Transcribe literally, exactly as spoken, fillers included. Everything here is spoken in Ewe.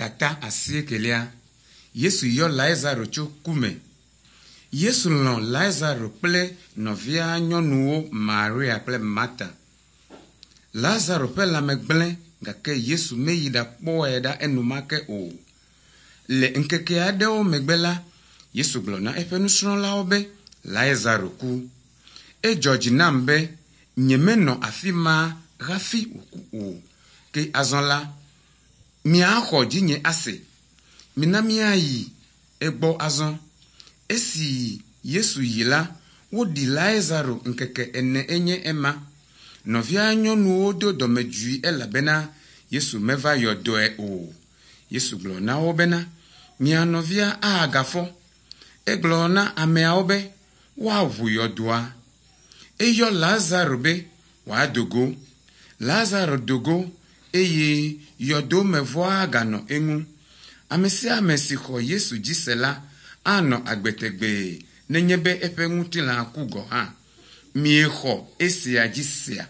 Tata asiekelia Yesu yɔ Lazaro tso ku me. Yesu lɔ̃ Lazaro kple nɔvia nyɔnuwo Maria kple Marta. Lazaro ƒe lãme gblẽ gake Yesu meyi ɖakpɔe ɖa enumake o. Le ŋkeke aɖewo megbe la, Yesu gblɔ na eƒe nusrɔ̃lawo be Lazaro ku. Edzɔ dzi nam be nyemenɔ afi ma hafi wòku o. Ke azɔ la, miaxɔ dzinye ase. Mina míayi egbɔ azɔ. Esi Yesu yi la, woɖi Lazaro ŋkeke ene enye ema. Nɔvia nyɔnuwo do dɔmedzoe elabena Yesu meva yɔ dɔe o. Yesu gblɔ na wo bena, mia nɔvia agafɔ. Egblɔ na ameawo be woaʋu yɔdoa. Eyɔ Lazaro be wòado go. Lazaro do go eye yɔdomevɔa ganɔ eŋu. Ame sia ame si xɔ Yesu dzi se la anɔ agbe tegbee nenye be eƒe ŋutilã ku gɔ̃ hã. Miexɔ esia dzi sea?